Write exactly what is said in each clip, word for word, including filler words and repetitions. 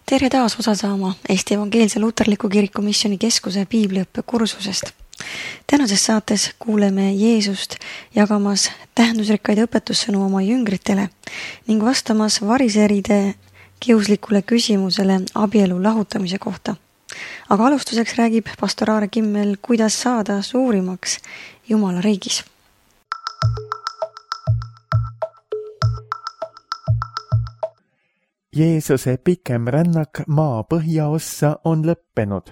Tere taas osa saama Eesti Evangeelse Luterliku Kiriku Missiooni Keskuse piibliõppe kursusest. Tänases saates kuuleme Jeesust jagamas tähendusrikkaid õpetussõnu oma jüngritele ning vastamas variseride kiuslikule küsimusele abielu lahutamise kohta. Aga alustuseks räägib pastor Aare Kimmel, kuidas saada suurimaks Jumala riigis. Jeesuse pikem rännak maa põhjaossa on lõppenud.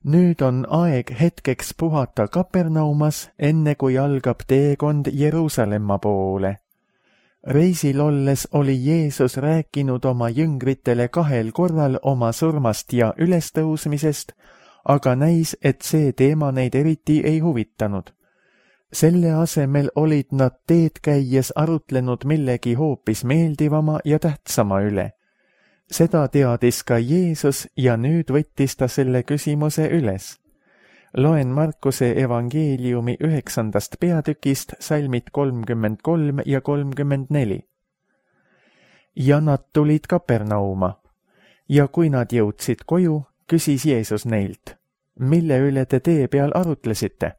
Nüüd on aeg hetkeks puhata Kapernaumas, enne kui algab teekond Jeruusalemma poole. Reisil olles oli Jeesus rääkinud oma jüngritele kahel korral oma surmast ja ülestõusmisest, aga näis, et see teema neid eriti ei huvitanud. Selle asemel olid nad teed käies arutlenud millegi hoopis meeldivama ja tähtsama üle. Seda teadis ka Jeesus ja nüüd võttis ta selle küsimuse üles. Loen Markuse evangeeliumi üheksandast peatükist salmid kolmkümmend kolm ja kolmkümmend neli. Ja nad tulid Kapernauma. Ja kui nad jõudsid koju, küsis Jeesus neilt, mille üle te tee peal arutlesite?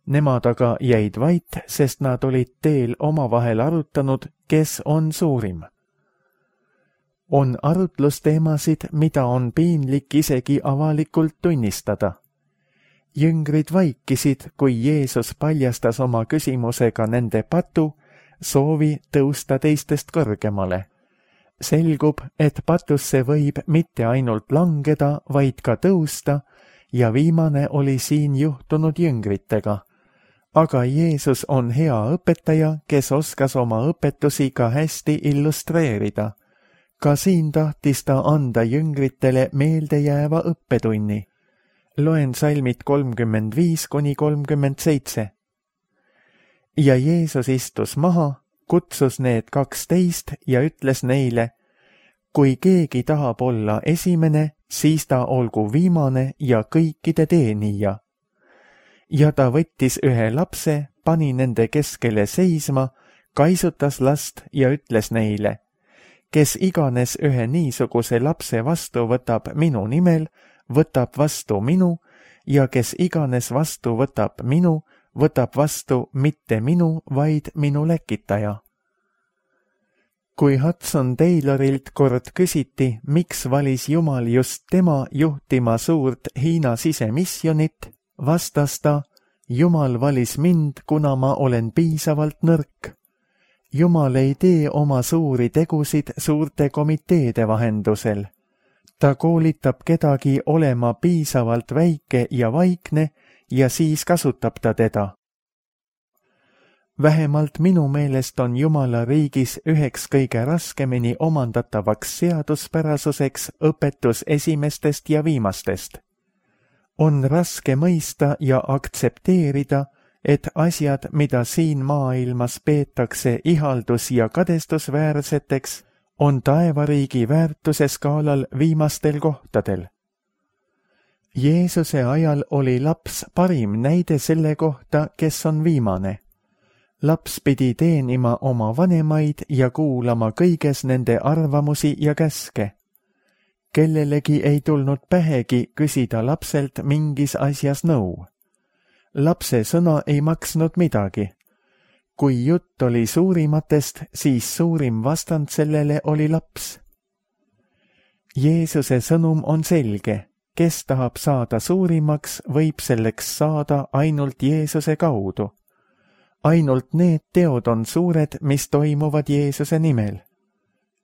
Nemad aga jäid vait, sest nad olid teel omavahel arutanud, kes on suurim. On arutlusteemasid, mida on piinlik isegi avalikult tunnistada. Jüngrid vaikisid, kui Jeesus paljastas oma küsimusega nende patu, soovi tõusta teistest kõrgemale. Selgub, et patusse võib mitte ainult langeda, vaid ka tõusta, ja viimane oli siin juhtunud jüngritega. Aga Jeesus on hea õpetaja, kes oskas oma õpetusi ka hästi illustreerida. Ka siin tahtis ta anda jüngritele meeldejääva õppetunni. Loen salmid kolmkümmend viis kuni kolmkümmend seitse. Ja Jeesus istus maha, kutsus need kaksteist ja ütles neile, kui keegi tahab olla esimene, siis ta olgu viimane ja kõikide teenija. Ja ta võttis ühe lapse, pani nende keskele seisma, kaisutas last ja ütles neile, kes iganes ühe niisuguse lapse vastu võtab minu nimel, võtab vastu minu, ja kes iganes vastu võtab minu, võtab vastu mitte minu, vaid minu läkitaja. Kui Hudson Taylorilt kord küsiti, miks valis Jumal just tema juhtima suurt Hiina sisemissionit, vastas ta, Jumal valis mind, kuna ma olen piisavalt nõrk. Jumal ei tee oma suuri tegusid suurte komiteede vahendusel. Ta koolitab kedagi olema piisavalt väike ja vaikne ja siis kasutab ta teda. Vähemalt minu meelest on Jumala riigis üheks kõige raskemini omandatavaks seaduspärasuseks õpetus esimestest ja viimastest. On raske mõista ja aktsepteerida, et asjad, mida siin maailmas peetakse ihaldus- ja kadestusväärseteks, on taevariigi väärtuse skaalal viimastel kohtadel. Jeesuse ajal oli laps parim näide selle kohta, kes on viimane. Laps pidi teenima oma vanemaid ja kuulama kõiges nende arvamusi ja käske. Kellelegi ei tulnud pähegi küsida lapselt mingis asjas nõu. Lapse sõna ei maksnud midagi. Kui jutt oli suurimatest, siis suurim vastand sellele oli laps. Jeesuse sõnum on selge. Kes tahab saada suurimaks, võib selleks saada ainult Jeesuse kaudu. Ainult need teod on suured, mis toimuvad Jeesuse nimel.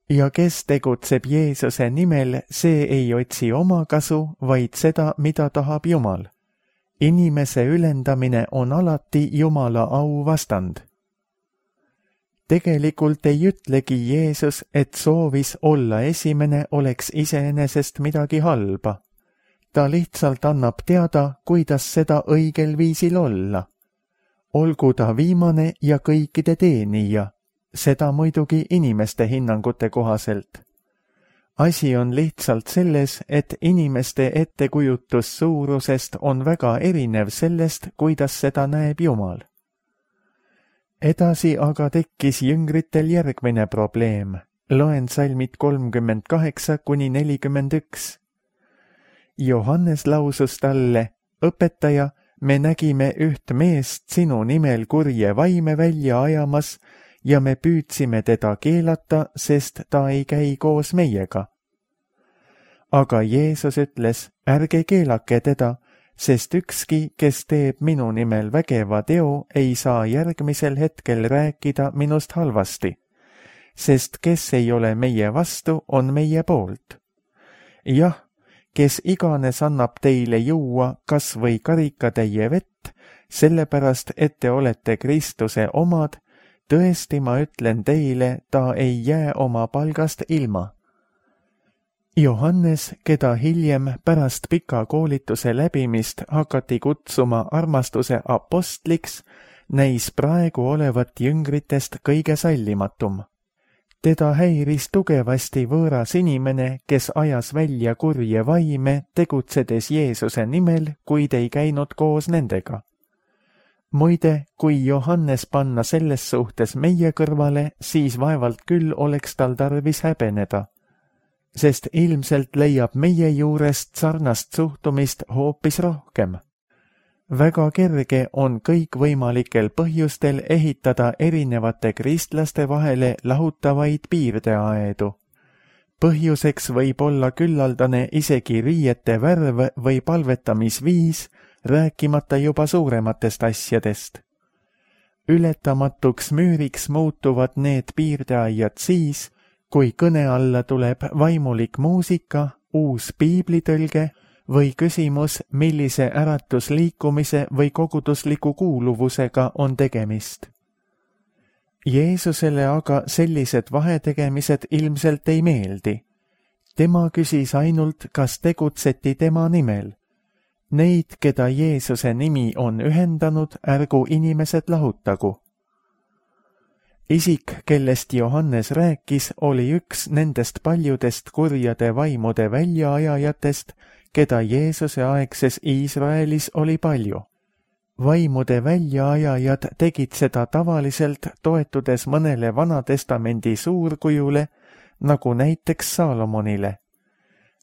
Ja kes tegutseb Jeesuse nimel, see ei otsi oma kasu, vaid seda, mida tahab Jumal. Inimese ülendamine on alati Jumala au vastand. Tegelikult ei ütlegi Jeesus, et soovis olla esimene oleks iseenesest midagi halba. Ta lihtsalt annab teada, kuidas seda õigel viisil olla. Olgu ta viimane ja kõikide teenija, seda muidugi inimeste hinnangute kohaselt. Asi on lihtsalt selles, et inimeste ettekujutus suurusest on väga erinev sellest, kuidas seda näeb Jumal. Edasi aga tekkis jüngritel järgmine probleem. Loen salmid kolmkümmend kaheksa kuni nelikümmend üks. Johannes lausus talle, õpetaja, me nägime üht meest sinu nimel kurje vaime välja ajamas ja me püüdsime teda keelata, sest ta ei käi koos meiega. Aga Jeesus ütles, ärge keelake teda, sest ükski, kes teeb minu nimel vägeva teo, ei saa järgmisel hetkel rääkida minust halvasti, sest kes ei ole meie vastu, on meie poolt. Jah, kes iganes annab teile juua kas või karikatäie vett, sellepärast et te olete Kristuse omad, tõesti ma ütlen teile, ta ei jää oma palgast ilma. Johannes, keda hiljem pärast pika koolituse läbimist hakati kutsuma armastuse apostliks, näis praegu olevat jüngritest kõige sallimatum. Teda häiris tugevasti võõras inimene, kes ajas välja kurje vaime, tegutsedes Jeesuse nimel, kuid ei käinud koos nendega. Muide, kui Johannes panna selles suhtes meie kõrvale, siis vaevalt küll oleks tal tarvis häbeneda, sest ilmselt leiab meie juurest sarnast suhtumist hoopis rohkem. Väga kerge on kõikvõimalikel põhjustel ehitada erinevate kristlaste vahele lahutavaid piirdeaedu. Põhjuseks võib olla küllaldane isegi riiete värv või palvetamisviis, rääkimata juba suurematest asjadest. Ületamatuks müüriks muutuvad need piirdeaiad siis, kui kõne alla tuleb vaimulik muusika, uus piiblitõlge või küsimus, millise äratusliikumise või kogudusliku kuuluvusega on tegemist. Jeesusele aga sellised vahetegemised ilmselt ei meeldi. Tema küsis ainult, kas tegutseti tema nimel. Neid, keda Jeesuse nimi on ühendanud, ärgu inimesed lahutagu. Isik, kellest Johannes rääkis, oli üks nendest paljudest kurjade vaimude väljaajajatest, keda Jeesuse aegses Iisraelis oli palju. Vaimude väljaajajad tegid seda tavaliselt toetudes mõnele Vanatestamendi suurkujule, nagu näiteks Saalomonile.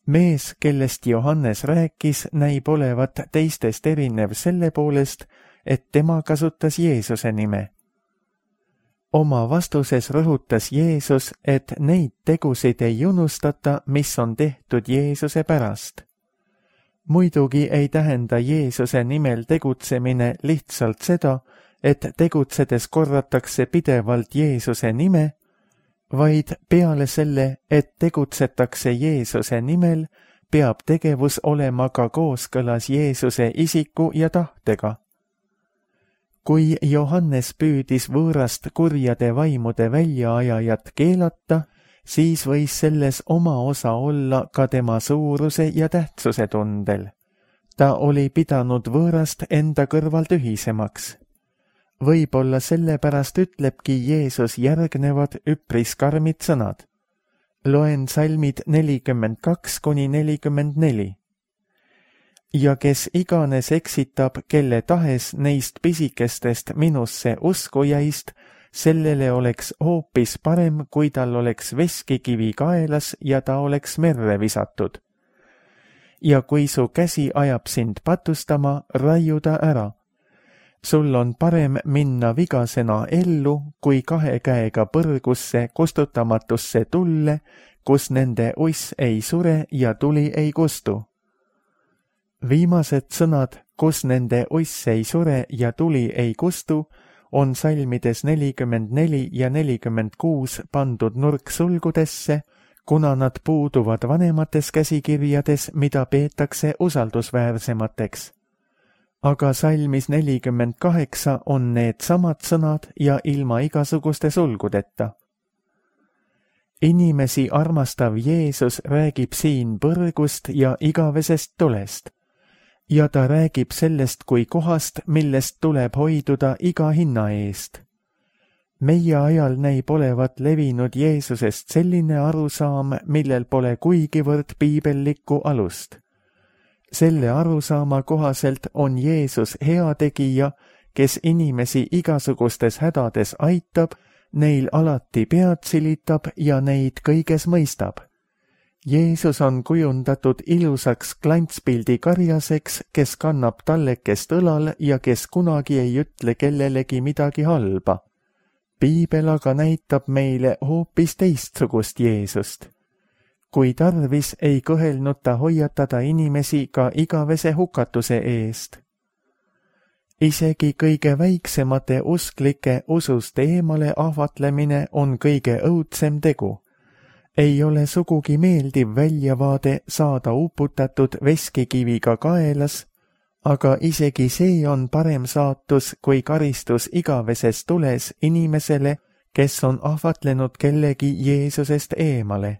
Mees, kellest Johannes rääkis, näib olevat teistest erinev selle poolest, et tema kasutas Jeesuse nime. Oma vastuses rõhutas Jeesus, et neid tegusid ei unustata, mis on tehtud Jeesuse pärast. Muidugi ei tähenda Jeesuse nimel tegutsemine lihtsalt seda, et tegutsedes korratakse pidevalt Jeesuse nime, vaid peale selle, et tegutsetakse Jeesuse nimel, peab tegevus olema ka kooskõlas Jeesuse isiku ja tahtega. Kui Johannes püüdis võõrast kurjade vaimude väljaajajat keelata, siis võis selles oma osa olla ka tema suuruse ja tähtsuse tundel. Ta oli pidanud võõrast enda kõrval tühisemaks. Võib-olla sellepärast ütlebki Jeesus järgnevad üpris karmid sõnad. Loen salmid nelikümmend kaks kuni nelikümmend neli. Ja kes iganes eksitab, kelle tahes neist pisikestest minusse uskujaist, sellele oleks hoopis parem, kui tal oleks veskikivi kaelas ja ta oleks merre visatud. Ja kui su käsi ajab sind patustama, raiu ta ära. Sul on parem minna vigasena ellu, kui kahe käega põrgusse kustutamatusse tulle, kus nende uss ei sure ja tuli ei kustu. Viimased sõnad, kus nende uss ei sure ja tuli ei kustu, on salmides nelikümmend neli ja nelikümmend kuus pandud nurksulgudesse, kuna nad puuduvad vanemates käsikirjades, mida peetakse usaldusväärsemateks. Aga salmis nelikümmend kaheksa on need samad sõnad ja ilma igasuguste sulgudeta. Inimesi armastav Jeesus räägib siin põrgust ja igavesest tulest. Ja ta räägib sellest kui kohast, millest tuleb hoiduda iga hinna eest. Meie ajal näib olevat levinud Jeesusest selline arusaam, millel pole kuigivõrd piibellikku alust. Selle arusaama kohaselt on Jeesus heategija, kes inimesi igasugustes hädades aitab neil alati pead silitab ja neid kõiges mõistab. Jeesus on kujundatud ilusaks klantspildi karjaseks, kes kannab tallekest õlal ja kes kunagi ei ütle kellelegi midagi halba. Piibel aga näitab meile hoopis teistsugust Jeesust. Kui tarvis, ei kõhelnud ta hoiatada inimesi ka igavese hukatuse eest. Isegi kõige väiksemate usklike usust eemale ahvatlemine on kõige õudsem tegu. Ei ole sugugi meeldiv väljavaade saada uputatud veskikiviga kaelas, aga isegi see on parem saatus kui karistus igaveses tules inimesele, kes on ahvatlenud kellegi Jeesusest eemale.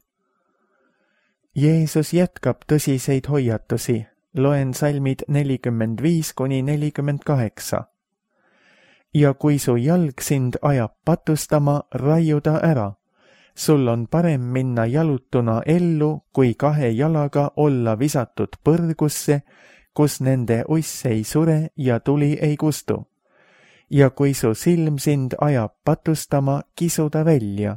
Jeesus jätkab tõsiseid hoiatusi. Loen salmid nelikümmend viis kuni nelikümmend kaheksa. Ja kui su jalg sind ajab patustama, raiu ta ära. Sul on parem minna jalutuna ellu, kui kahe jalaga olla visatud põrgusse, kus nende uss ei sure ja tuli ei kustu. Ja kui su silm sind ajab patustama, kisu ta välja.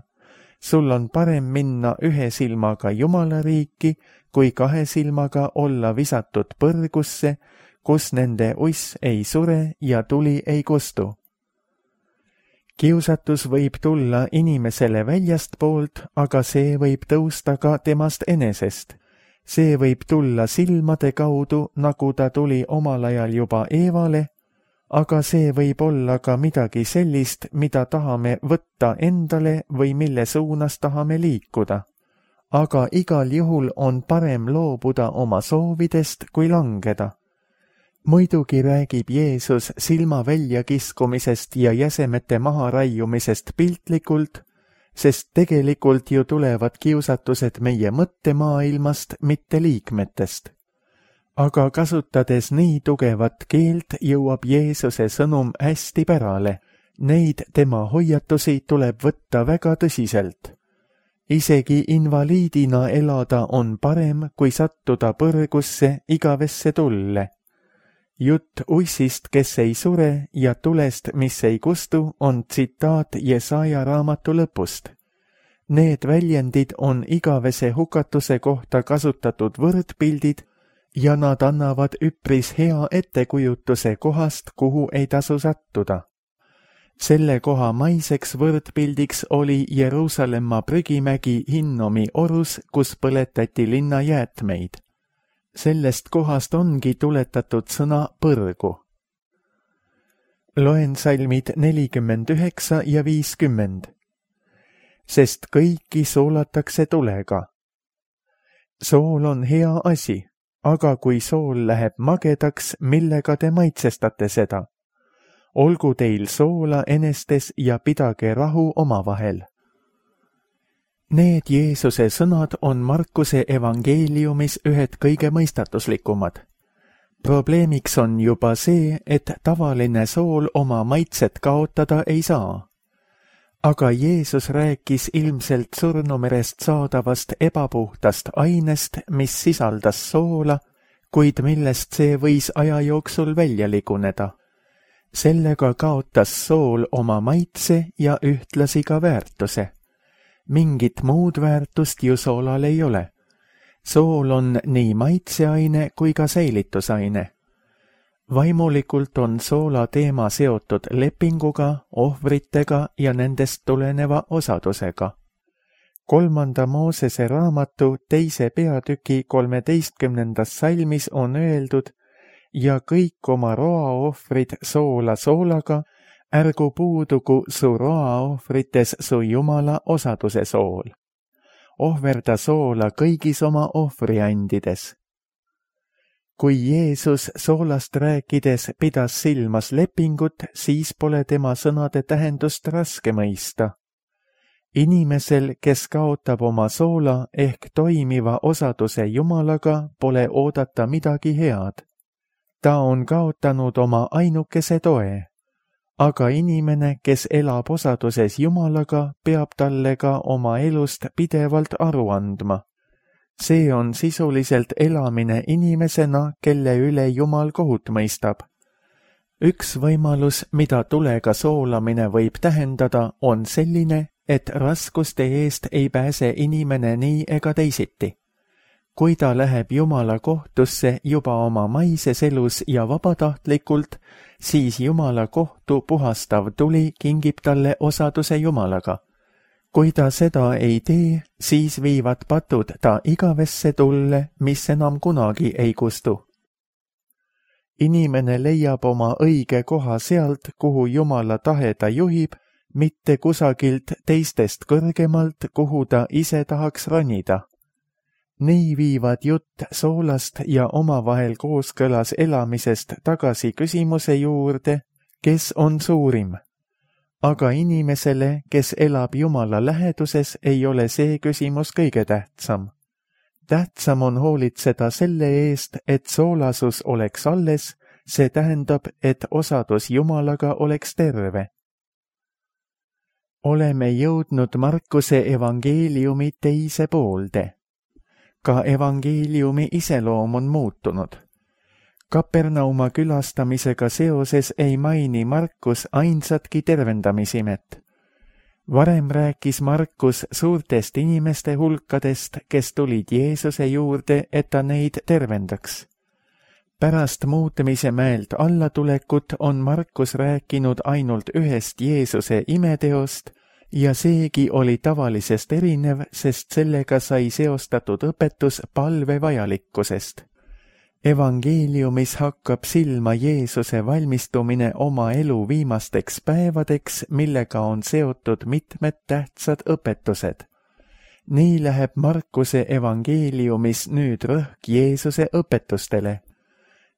Sul on parem minna ühe silmaga Jumala riiki, kui kahe silmaga olla visatud põrgusse, kus nende uss ei sure ja tuli ei kustu. Kiusatus võib tulla inimesele väljast poolt, aga see võib tõusta ka temast enesest. See võib tulla silmade kaudu, nagu ta tuli omal ajal juba Eevale, aga see võib olla ka midagi sellist, mida tahame võtta endale või mille suunas tahame liikuda. Aga igal juhul on parem loobuda oma soovidest kui langeda. Muidugi räägib Jeesus silma väljakiskumisest ja jäsemete maha raiumisest piltlikult, sest tegelikult ju tulevad kiusatused meie mõttemaailmast, mitte liikmetest. Aga kasutades nii tugevat keelt, jõuab Jeesuse sõnum hästi pärale. Neid tema hoiatusi tuleb võtta väga tõsiselt. Isegi invaliidina elada on parem, kui sattuda põrgusse igavesse tulle. Jutt ussist, kes ei sure, ja tulest, mis ei kustu, on tsitaat Jesaja raamatu lõpust. Need väljendid on igavese hukatuse kohta kasutatud võrdpildid ja nad annavad üpris hea ettekujutuse kohast, kuhu ei tasu sattuda. Selle koha maiseks võrdpildiks oli Jeruusalemma prügimägi Hinnomi orus, kus põletati linna jäätmeid. Sellest kohast ongi tuletatud sõna põrgu. Loen salmid nelikümmend üheksa ja viiskümmend. Sest kõiki soolatakse tulega. Sool on hea asi, aga kui sool läheb magedaks, millega te maitsestate seda? Olgu teil soola enestes ja pidage rahu omavahel. Need Jeesuse sõnad on Markuse evangeeliumis ühed kõige mõistatuslikumad. Probleemiks on juba see, et tavaline sool oma maitset kaotada ei saa. Aga Jeesus rääkis ilmselt surnumerest saadavast ebapuhtast ainest, mis sisaldas soola, kuid millest see võis aja jooksul välja liguneda. Sellega kaotas sool oma maitse ja ühtlasi ka väärtuse. Mingit muud väärtust ju soolal ei ole. Sool on nii maitseaine kui ka säilitusaine. Vaimulikult on soola teema seotud lepinguga, ohvritega ja nendest tuleneva osadusega. Kolmanda Moosese raamatu teise peatüki kolmeteistkümnendas salmis on öeldud, ja kõik oma roaohvrid soola soolaga, ärgu puudugu su roaohvrites su Jumala osaduse sool. Ohverda soola kõigis oma ohvriandides. Kui Jeesus soolast rääkides pidas silmas lepingut, siis pole tema sõnade tähendust raske mõista. Inimesel, kes kaotab oma soola ehk toimiva osaduse Jumalaga, pole oodata midagi head. Ta on kaotanud oma ainukese toe. Aga inimene, kes elab osaduses Jumalaga, peab talle ka oma elust pidevalt aru andma. See on sisuliselt elamine inimesena, kelle üle Jumal kohut mõistab. üks võimalus, mida tulega soolamine võib tähendada, on selline, et raskuste eest ei pääse inimene nii ega teisiti. Kui ta läheb Jumala kohtusse juba oma maises elus ja vabatahtlikult, siis Jumala kohtu puhastav tuli kingib talle osaduse Jumalaga. Kui ta seda ei tee, siis viivad patud ta igavesse tulle, mis enam kunagi ei kustu. Inimene leiab oma õige koha sealt, kuhu Jumala tahe ta juhib, mitte kusagilt teistest kõrgemalt, kuhu ta ise tahaks ronida. Nii viivad jutt soolast ja omavahel kooskõlas elamisest tagasi küsimuse juurde, kes on suurim. Aga inimesele, kes elab Jumala läheduses, ei ole see küsimus kõige tähtsam. Tähtsam on hoolitseda selle eest, et soolasus oleks alles, see tähendab, et osadus Jumalaga oleks terve. Oleme jõudnud Markuse evangeeliumi teise poolde. Ka evangeeliumi iseloom on muutunud. Kapernauma külastamisega seoses ei maini Markus ainsatki tervendamisimet. Varem rääkis Markus suurtest inimeste hulkadest, kes tulid Jeesuse juurde, et ta neid tervendaks. Pärast muutmise mäelt allatulekut on Markus rääkinud ainult ühest Jeesuse imeteost ja seegi oli tavalisest erinev, sest sellega sai seostatud õpetus palve vajalikkusest. Evangeeliumis hakkab silma Jeesuse valmistumine oma elu viimasteks päevadeks, millega on seotud mitmed tähtsad õpetused. Nii läheb Markuse evangeeliumis nüüd rõhk Jeesuse õpetustele.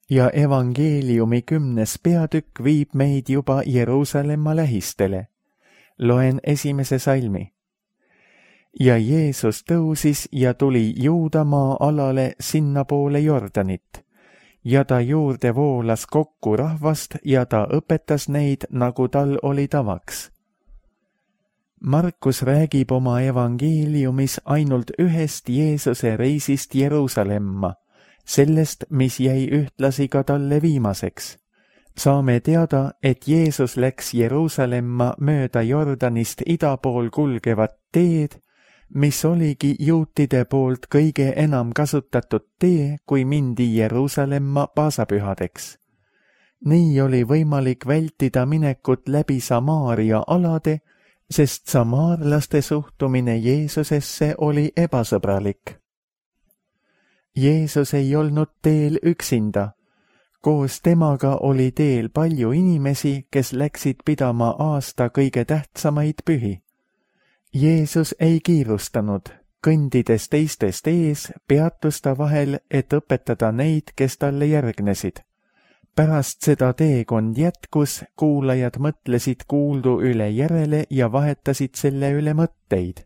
Ja evangeeliumi kümnes peatükk viib meid juba Jeruusalemma lähistele. Loen esimese salmi. Ja Jeesus tõusis ja tuli Juudamaa alale sinna poole Jordanit. Ja ta juurde voolas kokku rahvast ja ta õpetas neid, nagu tal oli tavaks. Markus räägib oma evangeeliumis ainult ühest Jeesuse reisist Jeruusalemma, sellest, mis jäi ühtlasi ka talle viimaseks. Saame teada, et Jeesus läks Jeruusalemma mööda Jordanist ida pool kulgevat teed, mis oligi juutide poolt kõige enam kasutatud tee, kui mindi Jeruusalemma paasapühadeks. Nii oli võimalik vältida minekut läbi Samaaria alade, sest samaarlaste suhtumine Jeesusesse oli ebasõbralik. Jeesus ei olnud teel üksinda. Koos temaga oli teel palju inimesi, kes läksid pidama aasta kõige tähtsamaid pühi. Jeesus ei kiirustanud, kõndides teistest ees, peatus ta vahel, et õpetada neid, kes talle järgnesid. Pärast seda teekond jätkus, kuulajad mõtlesid kuuldu üle järele ja vahetasid selle üle mõtteid.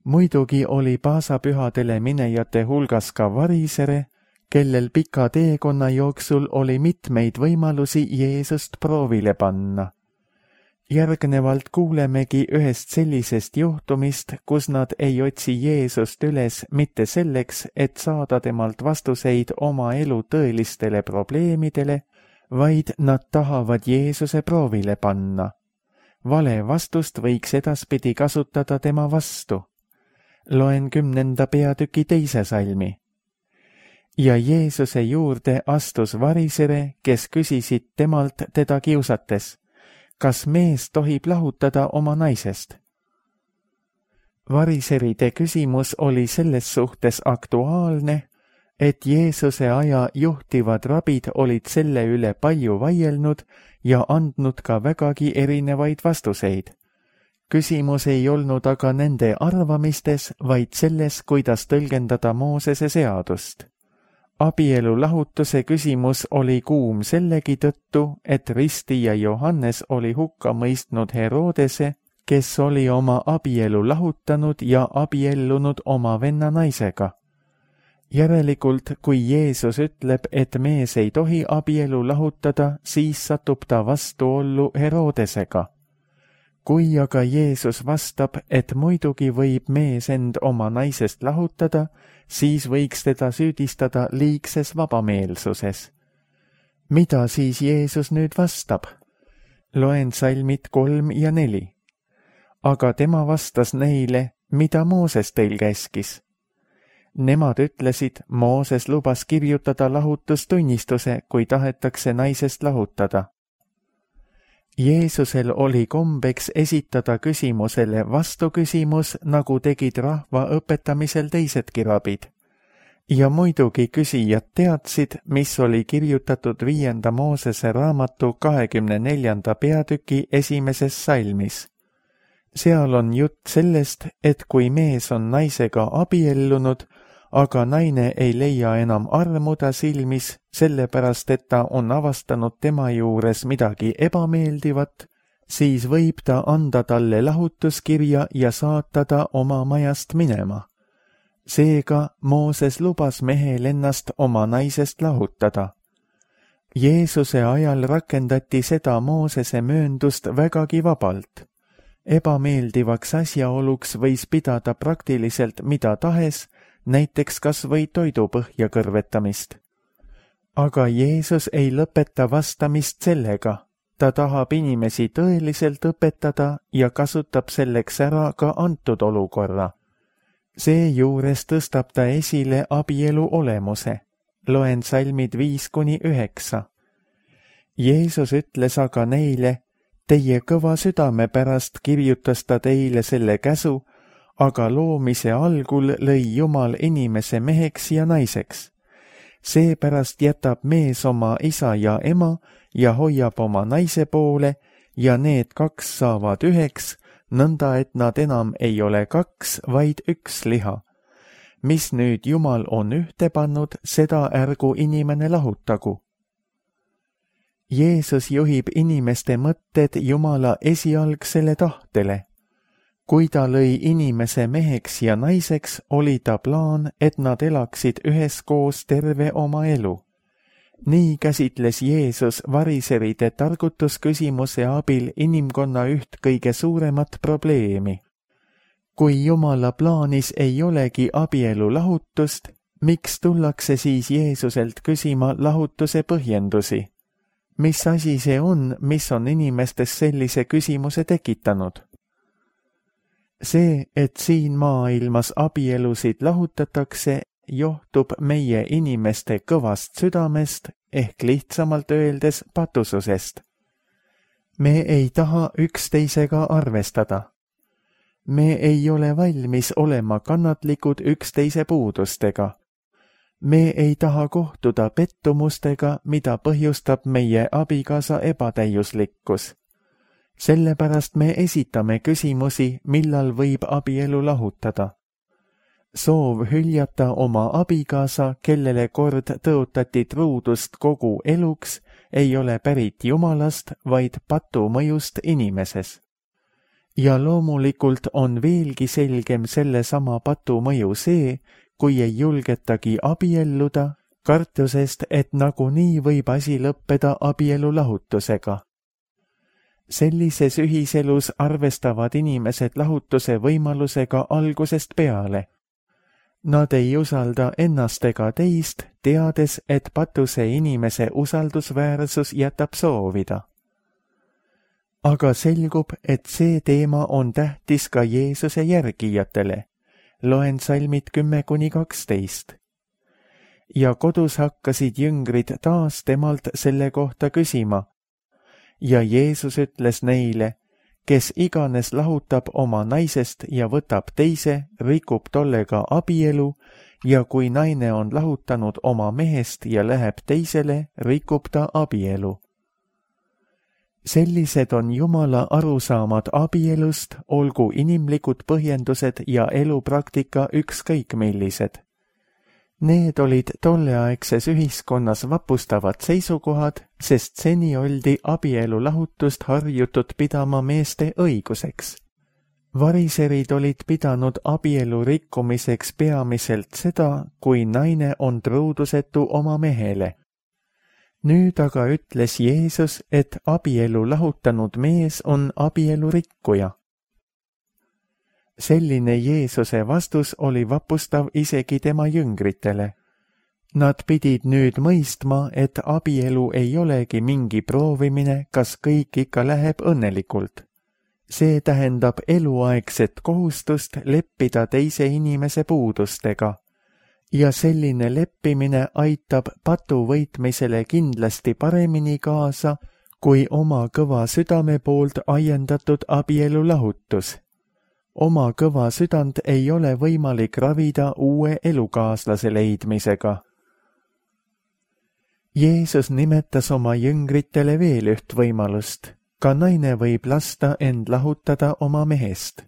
Muidugi oli paasapühadele minejate hulgas ka varisere, kellel pika teekonna jooksul oli mitmeid võimalusi Jeesust proovile panna. Järgnevalt kuulemegi ühest sellisest juhtumist, kus nad ei otsi Jeesust üles mitte selleks, et saada temalt vastuseid oma elu tõelistele probleemidele, vaid nad tahavad Jeesuse proovile panna. Vale vastust võiks edaspidi kasutada tema vastu. Loen kümnenda peatüki teise salmi. Ja Jeesuse juurde astus varisere, kes küsisid temalt teda kiusates, kas mees tohib lahutada oma naisest? Variseride küsimus oli selles suhtes aktuaalne, et Jeesuse aja juhtivad rabid olid selle üle palju vaielnud ja andnud ka vägagi erinevaid vastuseid. Küsimus ei olnud aga nende arvamistes, vaid selles, kuidas tõlgendada Moosese seadust. Abielu lahutuse küsimus oli kuum sellegi tõttu, et ristija Johannes oli hukka mõistnud Herodese, kes oli oma abielu lahutanud ja abiellunud oma venna naisega. Järelikult, kui Jeesus ütleb, et mees ei tohi abielu lahutada, siis satub ta vastuollu Herodesega. Kui aga Jeesus vastab, et muidugi võib mees end oma naisest lahutada, siis võiks teda süüdistada liigses vabameelsuses. mida siis Jeesus nüüd vastab? Loen salmid kolm ja neli. Aga tema vastas neile, mida Mooses teil käskis. Nemad ütlesid, Mooses lubas kirjutada lahutustunnistuse, kui tahetakse naisest lahutada. Jeesusel oli kombeks esitada küsimusele vastuküsimus, nagu tegid rahva õpetamisel teisedki rabid. Ja muidugi küsijad teadsid, mis oli kirjutatud viienda Moosese raamatu kahekümne neljanda peatüki esimeses salmis. Seal on jutt sellest, et kui mees on naisega abiellunud, aga naine ei leia enam armuda silmis, sellepärast et ta on avastanud tema juures midagi ebameeldivat, siis võib ta anda talle lahutuskirja ja saata ta oma majast minema. Seega Mooses lubas mehel ennast oma naisest lahutada. Jeesuse ajal rakendati seda Moosese mööndust vägagi vabalt. Ebameeldivaks asjaoluks võis pidada praktiliselt mida tahes, näiteks kas või toidupõhja kõrvetamist. Aga Jeesus ei lõpeta vastamist sellega. Ta tahab inimesi tõeliselt õpetada ja kasutab selleks ära ka antud olukorra. Seejuures tõstab ta esile abielu olemuse. Loen salmid viis kuni üheksa. Jeesus ütles aga neile, teie kõva südame pärast kirjutas ta teile selle käsu, aga loomise algul lõi Jumal inimese meheks ja naiseks. Seepärast jätab mees oma isa ja ema ja hoiab oma naise poole ja need kaks saavad üheks, nõnda et nad enam ei ole kaks, vaid üks liha. Mis nüüd Jumal on ühte pannud, seda ärgu inimene lahutagu. Jeesus juhib inimeste mõtted Jumala esialgsele tahtele. Kui ta lõi inimese meheks ja naiseks, oli ta plaan, et nad elaksid üheskoos terve oma elu. Nii käsitles Jeesus variseride targutusküsimuse abil inimkonna üht kõige suuremat probleemi. Kui Jumala plaanis ei olegi abielu lahutust, miks tullakse siis Jeesuselt küsima lahutuse põhjendusi? Mis asi see on, mis on inimestes sellise küsimuse tekitanud? See, et siin maailmas abielusid lahutatakse, johtub meie inimeste kõvast südamest ehk lihtsamalt öeldes patususest. Me ei taha üksteisega arvestada. Me ei ole valmis olema kannatlikud üksteise puudustega. Me ei taha kohtuda pettumustega, mida põhjustab meie abikaasa ebatäiuslikkus. Sellepärast me esitame küsimusi, millal võib abielu lahutada. Soov hüljata oma abikaasa, kellele kord tõotati truudust kogu eluks, ei ole pärit Jumalast, vaid patu mõjust inimeses. Ja loomulikult on veelgi selgem sellesama patu mõju see, kui ei julgetagi abielluda, kartusest, et nagunii võib asi lõppeda abielu lahutusega. Sellises ühiselus arvestavad inimesed lahutuse võimalusega algusest peale. Nad ei usalda ennast ega teist, teades, et patuse inimese usaldusväärsus jätab soovida. Aga selgub, et see teema on tähtis ka Jeesuse järgijatele. Loen salmid kümme kuni kaksteist. Ja kodus hakkasid jüngrid taas temalt selle kohta küsima. Ja Jeesus ütles neile, kes iganes lahutab oma naisest ja võtab teise, rikub tollega abielu, ja kui naine on lahutanud oma mehest ja läheb teisele, rikub ta abielu. Sellised on Jumala arusaamad abielust, olgu inimlikud põhjendused ja elupraktika ükskõik millised. Need olid tolleaegses ühiskonnas vapustavad seisukohad, sest seni oldi abielu lahutust harjutud pidama meeste õiguseks. Variserid olid pidanud abielu rikkumiseks peamiselt seda, kui naine on truudusetu oma mehele. Nüüd aga ütles Jeesus, et abielu lahutanud mees on abielu rikkuja. Selline Jeesuse vastus oli vapustav isegi tema jüngritele. Nad pidid nüüd mõistma, et abielu ei olegi mingi proovimine, kas kõik ikka läheb õnnelikult. See tähendab eluaegset kohustust leppida teise inimese puudustega ja selline leppimine aitab patu võitmisele kindlasti paremini kaasa kui oma kõva südame poolt ajendatud abielu lahutus. Oma kõva südant ei ole võimalik ravida uue elukaaslase leidmisega. Jeesus nimetas oma jüngritele veel üht võimalust. Ka naine võib lasta end lahutada oma mehest.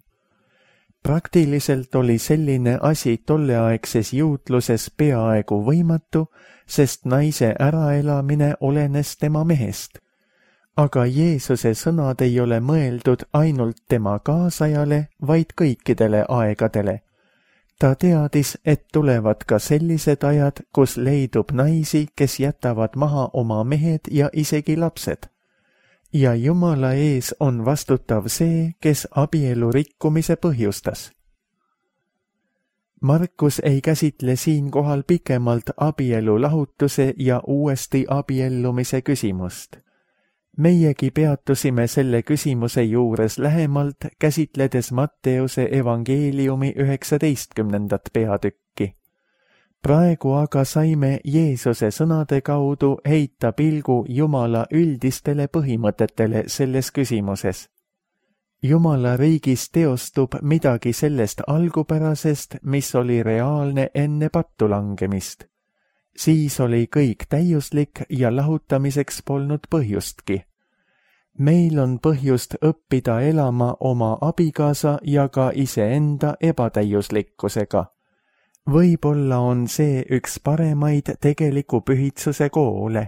Praktiliselt oli selline asi tolleaegses juutluses peaaegu võimatu, sest naise äraelamine olenes tema mehest. Aga Jeesuse sõnad ei ole mõeldud ainult tema kaasajale, vaid kõikidele aegadele. Ta teadis, et tulevad ka sellised ajad, kus leidub naisi, kes jätavad maha oma mehed ja isegi lapsed. Ja Jumala ees on vastutav see, kes abielu rikkumise põhjustas. Markus ei käsitle siinkohal pikemalt abielu lahutuse ja uuesti abiellumise küsimust. Meiegi peatusime selle küsimuse juures lähemalt, käsitledes Matteuse evangeeliumi üheksateistkümnendat peatükki. Praegu aga saime Jeesuse sõnade kaudu heita pilgu Jumala üldistele põhimõtetele selles küsimuses. Jumala riigis teostub midagi sellest algupärasest, mis oli reaalne enne pattu langemist. Siis oli kõik täiuslik ja lahutamiseks polnud põhjustki. Meil on põhjust õppida elama oma abikaasa ja ka iseenda ebatäiuslikkusega. Võib-olla on see üks paremaid tegeliku pühitsuse koole.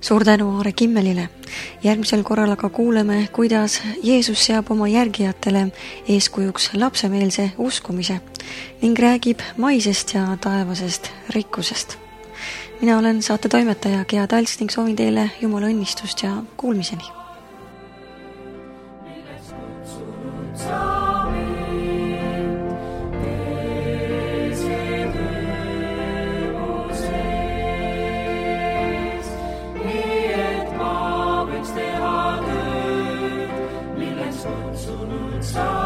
Suur tänu Aare Kimmelile. Järgmisel korral aga kuuleme, kuidas Jeesus seab oma järgijatele eeskujuks lapsemeelse uskumise ning räägib maisest ja taevasest rikkusest. Mina olen saate toimetaja Gea Talts ning soovin teile Jumala õnnistust ja kuulmiseni. Kutsunud sa